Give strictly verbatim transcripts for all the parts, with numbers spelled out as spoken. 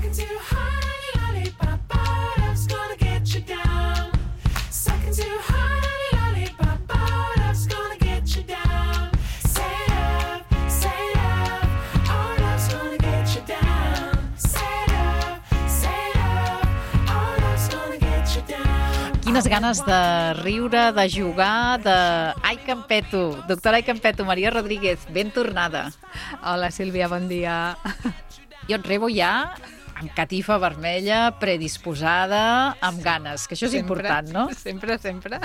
Sucking too hard on the lollipop, oh, love's gonna get you down. Sucking too hard on the lollipop, oh, love's gonna get you down. Say love, say love, oh, love's gonna get you down. Say love, say love, oh, love's gonna get you down. Quines ganes de riure, de jugar, de... Ai, Campeto, doctora Ai Campeto, Maria Rodríguez, ben tornada. Hola, Sílvia, bon dia. Jo et rebo ja amb catifa vermella, predisposada, amb ganes, que això és sempre, important, no? Sempre, sempre.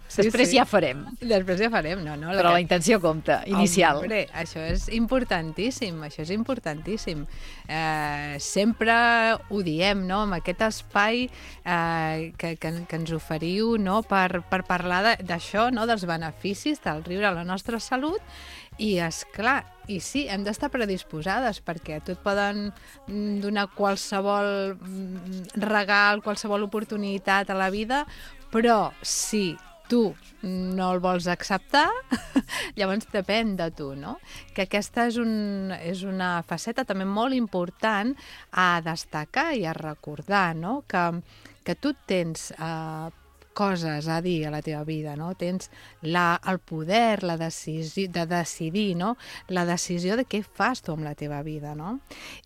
Sí, Després sí. ja farem. Després ja farem, no, no. Però la intenció compta, inicial. Hombre, això és importantíssim, això és importantíssim. Eh, sempre ho diem, no?, amb aquest espai eh, que, que, que ens oferiu, no?, per, per parlar d'això, no?, dels beneficis del riure a la nostra salut. I, esclar, i sí, hem d'estar predisposades, perquè a tu et poden donar qualsevol regal, qualsevol oportunitat a la vida, però si tu no el vols acceptar, llavors depèn de tu, no? Que aquesta és, un, és una faceta també molt important a destacar i a recordar, no? Que, que tu tens eh, coses a dir a la teva vida, no? Tens la, el poder la decisió, de decidir, no? La decisió de què fas tu amb la teva vida, no?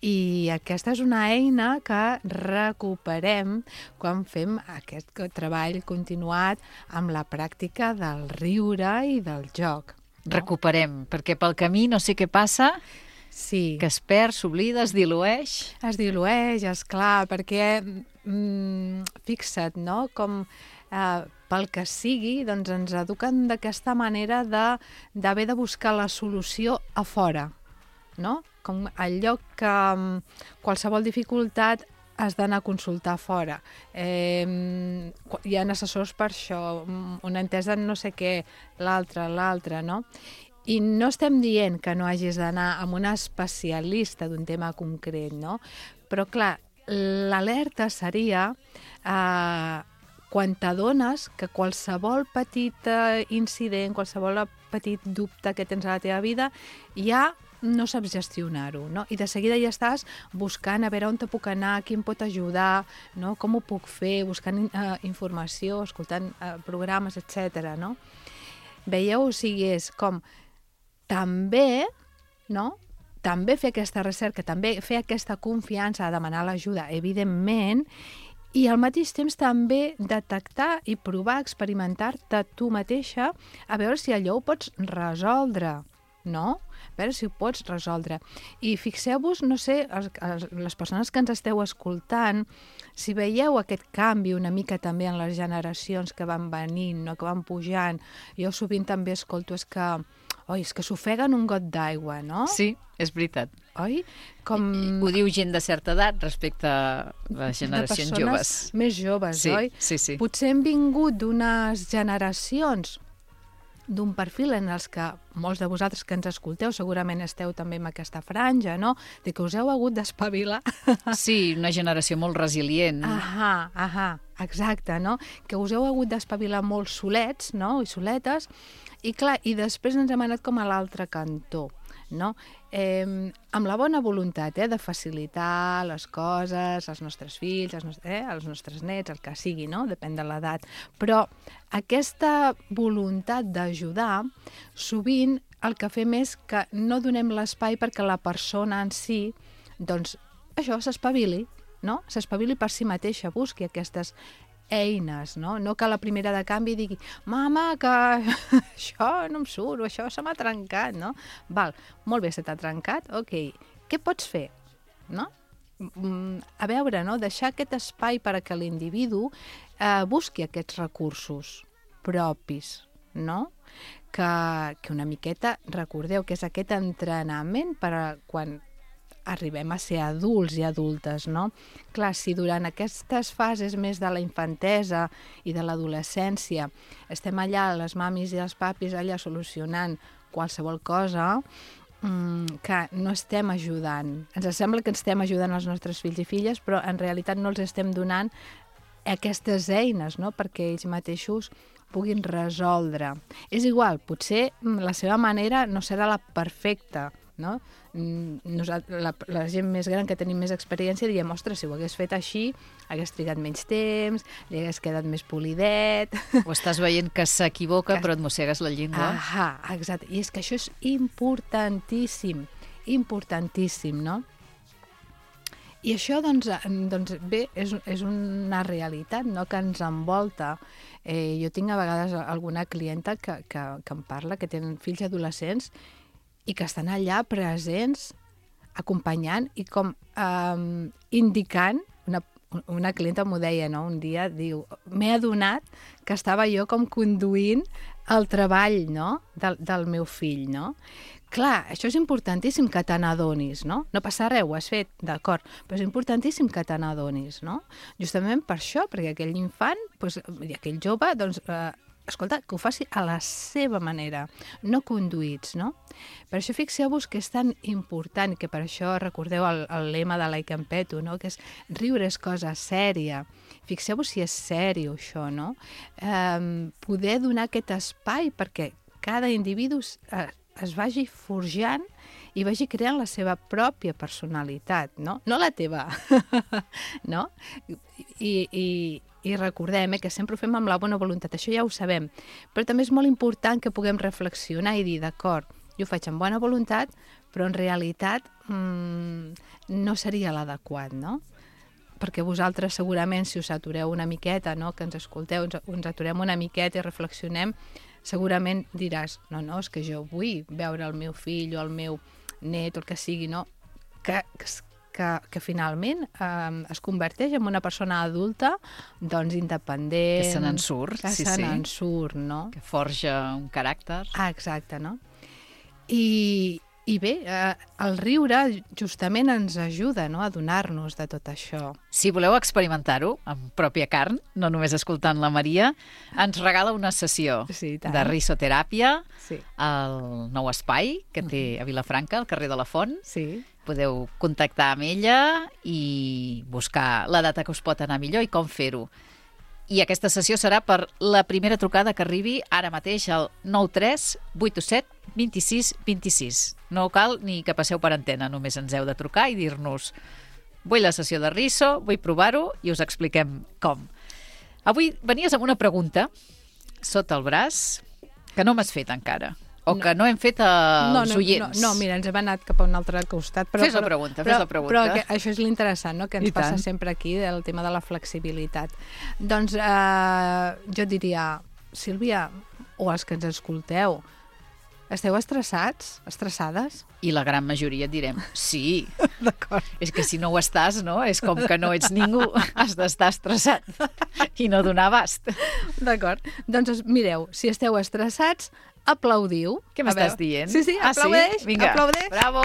I aquesta és una eina que recuperem quan fem aquest treball continuat amb la pràctica del riure i del joc. No? Recuperem, perquè pel camí no sé què passa... Sí. Que es perd, s'oblida, es dilueix. Es dilueix, esclar, perquè mm, fixa't, no?, com eh, pel que sigui, doncs ens eduquen d'aquesta manera de d'haver de buscar la solució a fora, no? Com al lloc que um, qualsevol dificultat has d'anar a consultar fora. Eh, hi ha assessors per això, una entesa en no sé què, l'altre, l'altre, no? I no estem dient que no hagis d'anar amb un especialista d'un tema concret, no? Però, clar, l'alerta seria eh, quan t'adones que qualsevol petit eh, incident, qualsevol petit dubte que tens a la teva vida, ja no saps gestionar-ho, no? I de seguida ja estàs buscant a veure on te puc anar, qui em pot ajudar, no? Com ho puc fer, buscant eh, informació, escoltant eh, programes, etcètera, no? Veieu? O sigui, és com també, no?, també fer aquesta recerca, també fer aquesta confiança a demanar l'ajuda, evidentment, i al mateix temps també detectar i provar, experimentar-te tu mateixa a veure si allò ho pots resoldre, no? A veure si ho pots resoldre. I fixeu-vos, no sé, els, els, les persones que ens esteu escoltant, si veieu aquest canvi una mica també en les generacions que van venint, no?, que van pujant, jo sovint també escolto és que oi, és que s'ofeguen un got d'aigua, no? Sí, és veritat. Oi? Com... Ho diu gent de certa edat respecte a les generacions joves. De persones més joves, sí, oi? Sí, sí. Potser hem vingut d'unes generacions d'un perfil en els que molts de vosaltres que ens escolteu segurament esteu també en aquesta franja, no? De que us heu hagut d'espavilar. Sí, una generació molt resilient. Ahà, ahà, exacte, no? Que us heu hagut d'espavilar molt solets, no?, i soletes, i clar, i després ens hem anat com a l'altre cantó, no? Eh, amb la bona voluntat, eh, de facilitar les coses als nostres fills, als nostres, eh, als nostres nets, el que sigui, no? Depèn de l'edat. Però aquesta voluntat d'ajudar, sovint el que fem és que no donem l'espai perquè la persona en si, doncs, això, s'espavili, no? S'espavili per si mateixa, busqui aquestes eines, no? No que la primera de canvi digui mama, que això no em surt, o això se m'ha trencat, no? Val, molt bé, se t'ha trencat, ok, què pots fer, no? A veure, no? Deixar aquest espai per a que l'individu eh, busqui aquests recursos propis, no? Que, que una miqueta, recordeu que és aquest entrenament per a quan arribem a ser adults i adultes, no? Clar, si durant aquestes fases més de la infantesa i de l'adolescència estem allà, les mamis i els papis, allà solucionant qualsevol cosa, mmm, que no estem ajudant. Ens sembla que estem ajudant els nostres fills i filles, però en realitat no els estem donant aquestes eines, no?, perquè ells mateixos puguin resoldre. És igual, potser la seva manera no serà la perfecta, no? Nosal- la, la gent més gran que tenim més experiència diem, ostres, si ho hagués fet així, hagués trigat menys temps, li hagués quedat més polidet. O estàs veient que s'equivoca, però et mossegues la llengua. Ahà, exacte. I és que això és importantíssim, importantíssim, no? I això, doncs, doncs bé, és, és una realitat, no?, que ens envolta. Eh, jo tinc a vegades alguna clienta que, que, que em parla, que tenen fills adolescents i que estan allà presents, acompanyant i com eh, indicant, una, una clienta m'ho deia, no?, un dia, diu, m'he adonat que estava jo com conduint el treball, no?, del, del meu fill, no? Clar, això és importantíssim que te n'adonis, no? No passa res, ho has fet, d'acord, però és importantíssim que te n'adonis, no? Justament per això, perquè aquell infant, doncs, i aquell jove, doncs, eh, escolta, que ho faci a la seva manera, no conduïts, no? Per això fixeu-vos que és tan important, que per això recordeu el, el lema de l'Ai Campeto, no?, que és riure és cosa sèria. Fixeu-vos si és sèrio això, no? Eh, poder donar aquest espai perquè cada individu eh, es vagi forjant i vagi creant la seva pròpia personalitat, no? No la teva, no? I, i, i recordem eh, que sempre ho fem amb la bona voluntat, això ja ho sabem, però també és molt important que puguem reflexionar i dir, d'acord, jo ho faig amb bona voluntat, però en realitat mmm, no seria l'adequat, no? Perquè vosaltres segurament, si us atureu una miqueta, no?, que ens escolteu, ens, ens aturem una miqueta i reflexionem, segurament diràs, no, no, és que jo vull veure el meu fill o el meu net o el que sigui, no? Que, que, que finalment eh, es converteix en una persona adulta, doncs independent. Que se n'en surt, que sí, se sí. n'en surt, no? Que forja un caràcter. Ah, exacte, no? I, i bé, eh, el riure justament ens ajuda, no?, a donar-nos de tot això. Si voleu experimentar-ho en pròpia carn, no només escoltant la Maria, ens regala una sessió Sí, tant. de risoteràpia Sí. al nou espai que té a Vilafranca, al carrer de la Font. Sí. Podeu contactar amb ella i buscar la data que us pot anar millor i com fer-ho. I aquesta sessió serà per la primera trucada que arribi ara mateix al nou tres vuit set dos sis dos sis. No cal ni que passeu per antena, només ens heu de trucar i dir-nos vull la sessió de riso, vull provar-ho i us expliquem com. Avui venies amb una pregunta sota el braç que no m'has fet encara. O que no hem fet als no, no, oients. No, no, mira, ens hem anat cap a un altre costat. Però, Fes la però- pregunta, però, fes la pregunta. Però que això és l'interessant, no?, que ens I passa tant. sempre aquí, del tema de la flexibilitat. Doncs eh, jo diria, Sílvia, o els que ens escolteu, esteu estressats? Estressades? I la gran majoria et direm, sí. D'acord. És que si no ho estàs, no? És com que no ets ningú, has d'estar estressat i no donar abast. D'acord. Doncs es- mireu, si esteu estressats, aplaudiu. Què A m'estàs veure. dient? Sí, sí, Ah, aplaudeix, Vinga, aplaudeix. bravo.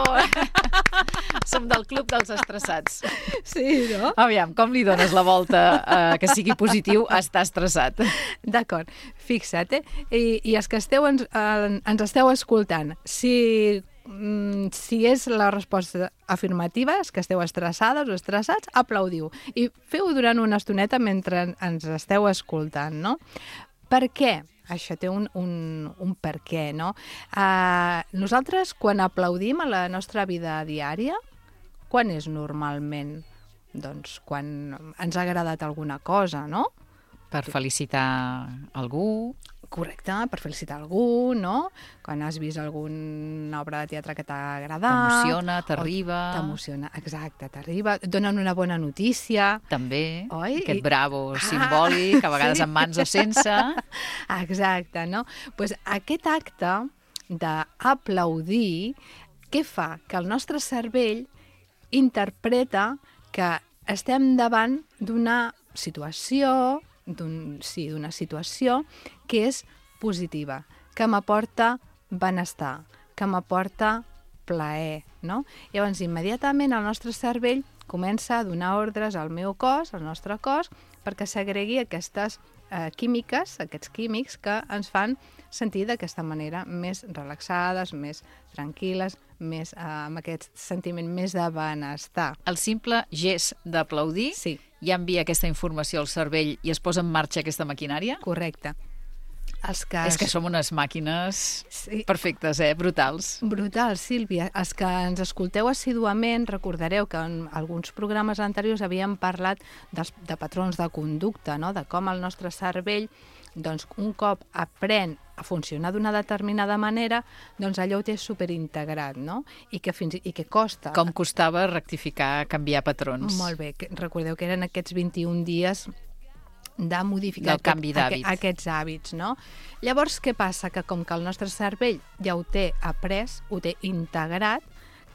Som del club dels estressats. Sí, no? Aviam, com li dones la volta eh, que sigui positiu a estar estressat? D'acord, fixa't, eh? I, i els que esteu ens, eh, ens esteu escoltant, si, mm, si és la resposta afirmativa, és que esteu estressades o estressats, aplaudiu. I feu-ho durant una estoneta mentre ens esteu escoltant, no? Per què? Això té un, un, un per què, no? Uh, nosaltres, quan aplaudim a la nostra vida diària, quan és normalment? Doncs quan ens ha agradat alguna cosa, no? Per felicitar algú, Correcte, per felicitar algú, no? Quan has vist alguna obra de teatre que t'ha agradat. t'emociona, o t'arriba, T'emociona, exacte, t'arriba. Et donen una bona notícia. també, Oi? aquest I- bravo Ah, simbòlic, a vegades sí. amb mans o sense. Exacte, no? Pues aquest acte d'aplaudir, què fa? Que el nostre cervell interpreta que estem davant d'una situació, d'un, sí, d'una situació que és positiva, que m'aporta benestar, que m'aporta plaer, no? Llavors, immediatament el nostre cervell comença a donar ordres al meu cos, al nostre cos, perquè segregui aquestes eh, químiques, aquests químics que ens fan sentir d'aquesta manera més relaxades, més tranquil·les, més, eh, amb aquest sentiment més de benestar. El simple gest d'aplaudir Sí, ja envia aquesta informació al cervell i es posa en marxa aquesta maquinària? correcte. Els que És que som unes màquines Sí. perfectes, eh? Brutals. Brutal, Sílvia. Els que ens escolteu assíduament recordareu que en alguns programes anteriors havíem parlat dels, de patrons de conducta, no? De com el nostre cervell, doncs, un cop aprèn a funcionar d'una determinada manera, doncs allò ho té superintegrat, no? I que, fins, i que costa. Com costava rectificar, canviar patrons. Molt bé. Que, recordeu que eren aquests vint-i-un dies de modificar Del canvi d'hàbit. aquest, aquests hàbits, no? Llavors, què passa? Que com que el nostre cervell ja ho té après, ho té integrat,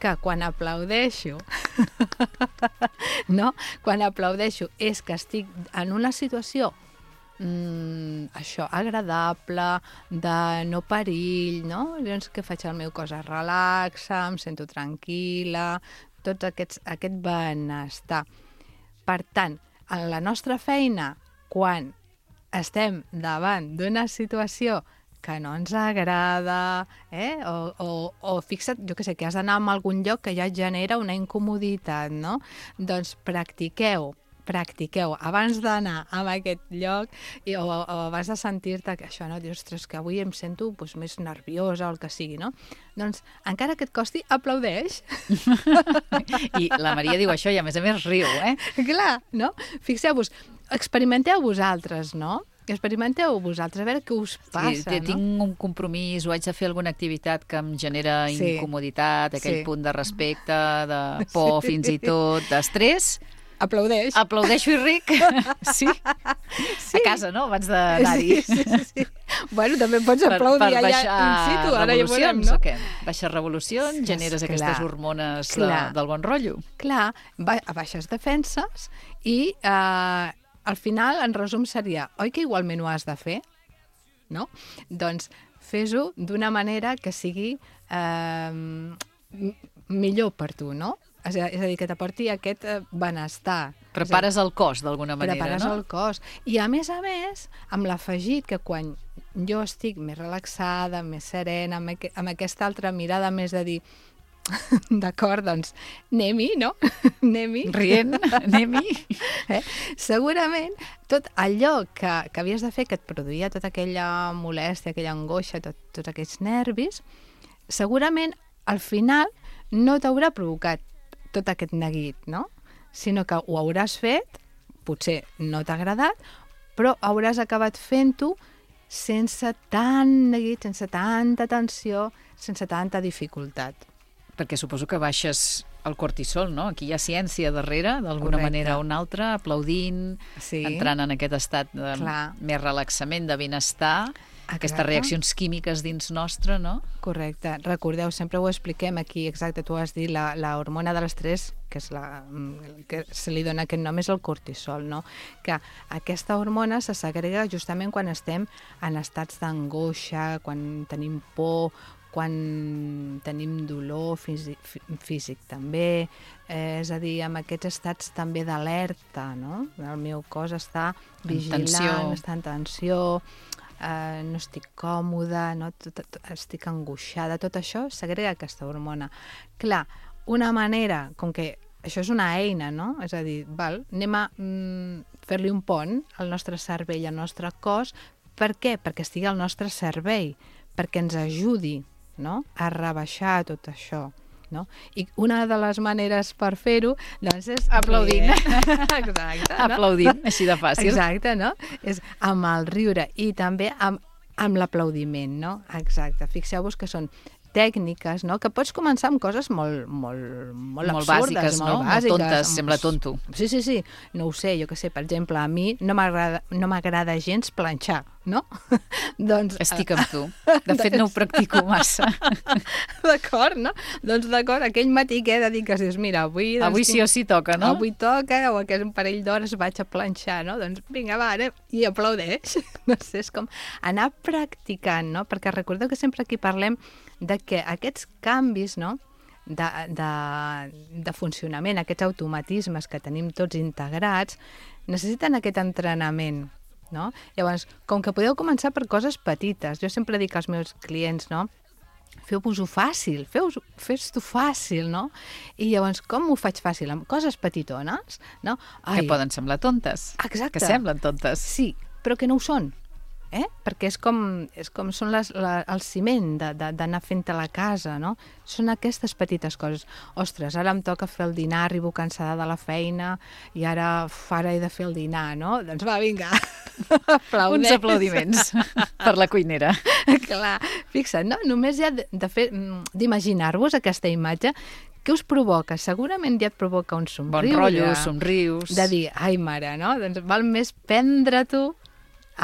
que quan aplaudeixo, no? Quan aplaudeixo és que estic en una situació mm, això, agradable, de no perill, no? Llavors, què faig? El meu cos es relaxa, em sento tranquil·la, tot aquests, aquest benestar. Per tant, en la nostra feina, quan estem davant d'una situació que no ens agrada, eh? o, o, o fixa't, jo què sé, que has d'anar a algun lloc que ja et genera una incomoditat, no? Doncs practiqueu, practiqueu abans d'anar a aquest lloc i, o, o abans de sentir-te que això, no? Dius, ostres, que avui em sento doncs, més nerviosa o el que sigui, no? Doncs, encara que et costi, aplaudeix. I la Maria diu això i a més a més riu, eh? Clar, no? Fixeu-vos, experimenteu vosaltres, no? Experimenteu vosaltres, a veure què us passa, sí, no? Tinc un compromís o haig de fer alguna activitat que em genera Sí. incomoditat, aquell Sí. punt de respecte, de por, Sí. fins i tot, d'estrès. Aplaudeix. Aplaudeixo i ric. Sí. Sí. A casa, no? Abans d'anar-hi. Sí, sí, sí. Bueno, també pots Per, aplaudir per allà baixar in situ, ara ja veurem, revolucions, no? o què? Baixes revolucions, Sí, generes clar, aquestes hormones de, clar. del bon rotllo. Clar, ba baixes defenses i eh, al final, en resum, seria, oi que igualment ho has de fer? No? Doncs fes-ho d'una manera que sigui eh, m- millor per tu, no? És a, és a dir, que t'aporti aquest eh, benestar. Prepares el cos, d'alguna manera, Prepares no? el cos. I a més a més, amb l'afegit que quan jo estic més relaxada, més serena, amb, aqu amb aquesta altra mirada més de dir d'acord, doncs anem-hi, no? anem-hi. Rient, anem-hi. Eh? Segurament tot allò que, que havies de fer, que et produïa tota aquella molèstia, aquella angoixa, tot, tots aquests nervis, segurament al final no t'haurà provocat tot aquest neguit, no? Sinó que ho hauràs fet, potser no t'ha agradat, però hauràs acabat fent-ho sense tant neguit, sense tanta tensió, sense tanta dificultat. Perquè suposo que baixes el cortisol, no? Aquí hi ha ciència darrere, d'alguna Correcte. manera o una altra, aplaudint, Sí. entrant en aquest estat de Clar. més relaxament, de benestar, aquestes reaccions químiques dins nostre, no? Correcte. Recordeu, sempre ho expliquem aquí, exacte, tu has dit, la, la hormona de l'estrès, que és la que se li dona aquest nom, és el cortisol, no? Que aquesta hormona se segrega justament quan estem en estats d'angoixa, quan tenim por, quan tenim dolor físic, físic també, eh, és a dir, amb aquests estats també d'alerta, no? El meu cos està vigilant, tensió. està en tensió, eh, no estic còmoda, no? tot, tot, estic angoixada, tot això segrega aquesta hormona. Clar, una manera, com que això és una eina, no? És a dir, val, anem a mm, fer-li un pont al nostre cervell, al nostre cos. Per què? Perquè estigui al nostre servei, perquè ens ajudi, no? A rebaixar tot això. No? I una de les maneres per fer-ho doncs és Aplaudint. Exacte, no? Aplaudint, així de fàcil. Exacte, no? És amb el riure i també amb, amb l'aplaudiment, no? Exacte. Fixeu-vos que són tècniques, no? Que pots començar amb coses molt, molt, molt, Molt absurdes, bàsiques, no? molt Molt bàsiques. tontes, amb- sembla tonto. Sí, sí, sí. No ho sé, jo què sé, per exemple, a mi no m'agrada no m'agrada gens planxar, no? doncs... Estic amb tu. De fet, no ho practico massa. D'acord, no? Doncs d'acord, aquell matí que dediques, dius, mira, avui... Doncs, Avui sí o sí toca, no? Avui toca, o aquest un parell d'hores vaig a planxar, no? Doncs vinga, va, anem, i aplaudeix. No sé, és com anar practicant, no? Perquè recordeu que sempre aquí parlem de que aquests canvis, no?, de, de, de funcionament, aquests automatismes que tenim tots integrats, necessiten aquest entrenament, no? Llavors, com que podeu començar per coses petites, jo sempre dic als meus clients, no?, feu-vos-ho fàcil, fes-t'ho fàcil, no? I llavors, com ho faig fàcil? Amb coses petitones, no? Que poden semblar tontes. Exacte. Que semblen tontes. Sí, però que no ho són. eh? Perquè és com, és com són les, la, el ciment d'anar fent a la casa, no? Són aquestes petites coses. Ostres, ara em toca fer el dinar, arribo cansada de la feina i ara, uf, ara he de fer el dinar, no? Doncs va, vinga, aplaudeix. Uns aplaudiments per la cuinera. Clar, fixa't, no? Només ja de, de fer, d'imaginar-vos aquesta imatge, què us provoca? Segurament ja et provoca un somriure. Bon rotllo, somrius. De dir, ai mare, no? Doncs val més prendre-t'ho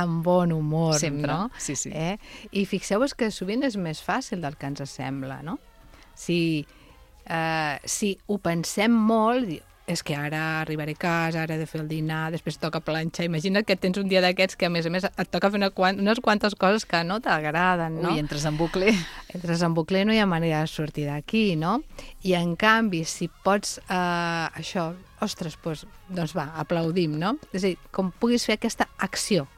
amb bon humor, Sempre, no? sí, sí. Eh? I fixeu-vos que sovint és més fàcil del que ens sembla, no? Si, eh, si ho pensem molt, és que ara arribaré a casa, ara he de fer el dinar, després toca planxar. Imagina't que tens un dia d'aquests que, a més a més, et toca fer una quant, unes quantes coses que no t'agraden, no? Ui, entres en bucle. Entres en bucle, no hi ha manera de sortir d'aquí, no? I, en canvi, si pots, eh, això, ostres, doncs, doncs va, aplaudim, no? És a dir, com puguis fer aquesta acció,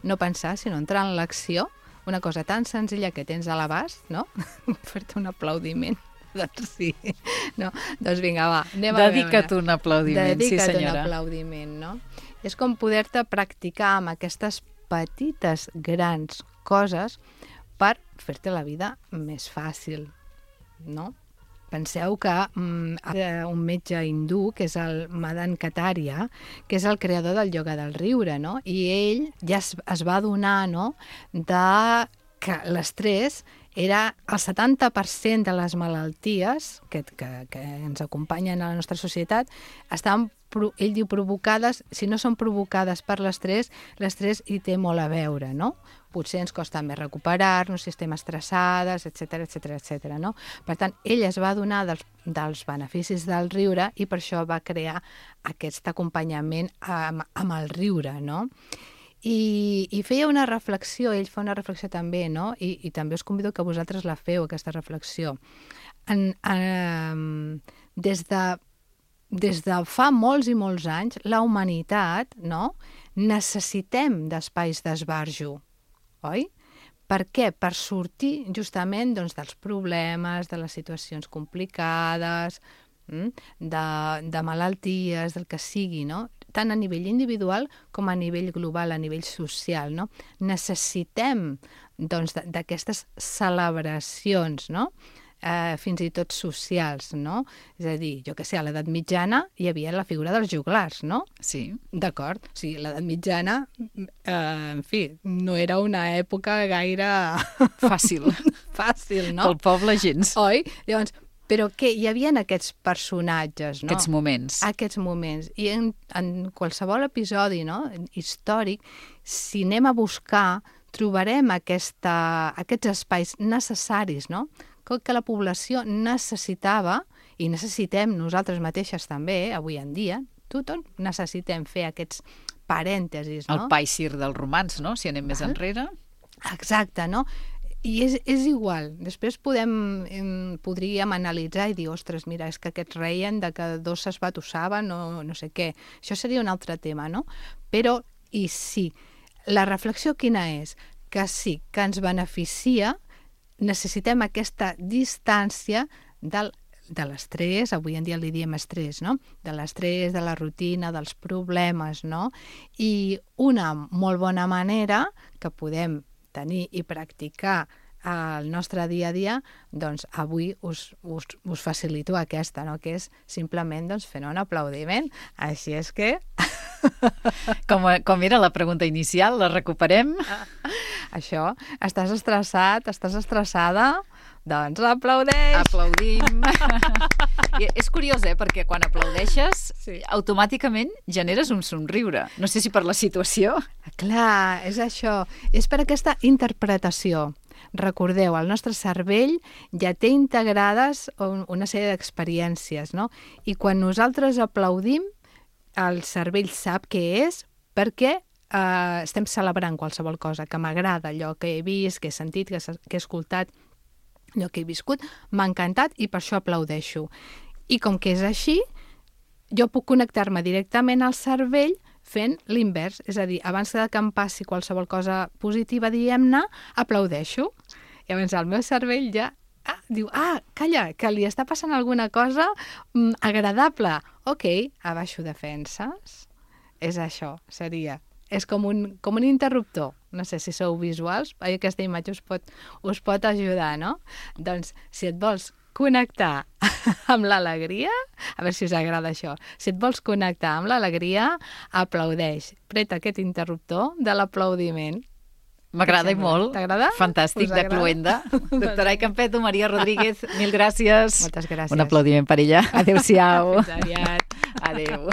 no pensar, sinó entrar en l'acció, una cosa tan senzilla que tens a l'abast, no? Fer-te un aplaudiment. Doncs sí. No? Doncs vinga, va, anem a veure. Dedica't un aplaudiment, Dedica't sí senyora. un aplaudiment, no? És com poder-te practicar amb aquestes petites, grans coses per fer-te la vida més fàcil, no? Penseu que mm, un metge hindú, que és el Madan Kataria, que és el creador del ioga del riure, no? I ell ja es, es va adonar, no?, de que l'estrès era el setanta per cent de les malalties que, que, que ens acompanyen a la nostra societat, estan, ell diu, provocades, si no són provocades per l'estrès, l'estrès hi té molt a veure, no? Potser ens costa més recuperar-nos, si estem estressades, etcètera, etcètera, etcètera, no? Per tant, ell es va adonar dels, dels beneficis del riure i per això va crear aquest acompanyament amb, amb el riure, no? I, i feia una reflexió, ell fa una reflexió també, no? I, i també us convido que vosaltres la feu, aquesta reflexió. En, en, des, de, des de fa molts i molts anys, la humanitat, no?, necessitem d'espais d'esbarjo, oi? Per què? Per sortir justament, doncs, dels problemes, de les situacions complicades, de, de malalties, del que sigui, no? Tant a nivell individual com a nivell global, a nivell social, no? Necessitem, doncs, d'aquestes celebracions, no?, eh, fins i tot socials, no? És a dir, jo què sé, a l'edat mitjana hi havia la figura dels joglars, no? Sí. D'acord. O sigui, l'edat mitjana, eh, en fi, no era una època gaire... Fàcil. Fàcil, no? Pel poble gens. Oi? Llavors, però què? Hi havia aquests personatges, no? Aquests moments. Aquests moments. I en, en qualsevol episodi, no?, històric, si anem a buscar, trobarem aquesta, aquests espais necessaris, no?, que la població necessitava, i necessitem nosaltres mateixes també, avui en dia, tothom necessitem fer aquests parèntesis, no? El paisir del romanç, no?, si anem més enrere. Exacte, no? I és, és igual. Després podem, podríem analitzar i dir, ostres, mira, és que aquests reien de que dos s'esbatussaven o no sé què. Això seria un altre tema, no? Però, i sí, la reflexió quina és? Que sí, que ens beneficia, necessitem aquesta distància del, de l'estrès, avui en dia li diem estrès, no? De l'estrès, de la rutina, dels problemes, no? I una molt bona manera que podem tenir i practicar al nostre dia a dia, doncs avui us, us, us facilito aquesta, no?, que és simplement doncs, fer un aplaudiment. Així és que... Com, com era la pregunta inicial, la recuperem? Això, estàs estressat, estàs estressada, doncs aplaudeix! Aplaudim! I és curiós, eh?, perquè quan aplaudeixes, sí, automàticament generes un somriure. No sé si per la situació. Clar, és això. És per aquesta interpretació. Recordeu, el nostre cervell ja té integrades una sèrie d'experiències, no? I quan nosaltres aplaudim, el cervell sap què és perquè eh, estem celebrant qualsevol cosa, que m'agrada allò que he vist, que he sentit, que he escoltat, allò que he viscut, m'ha encantat i per això aplaudeixo. I com que és així, jo puc connectar-me directament al cervell fent l'invers, és a dir, abans que em passi qualsevol cosa positiva, diguem-ne, aplaudeixo. Llavors el meu cervell ja ah, diu, ah, calla, que li està passant alguna cosa mm, agradable. Ok, abaixo defenses. És això, seria. És com un, com un interruptor, no sé si sou visuals, aquesta imatge us pot, us pot ajudar, no? Doncs, si et vols connectar amb l'alegria, a veure si us agrada això, si et vols connectar amb l'alegria, aplaudeix, preta aquest interruptor de l'aplaudiment. M'agrada i molt. T'agrada? Fantàstic, de cluenda. Doctora Aicampeto, Maria Rodríguez, mil gràcies. Moltes gràcies. Un aplaudiment per ella. Adéu-siau. Fins aviat. Adéu.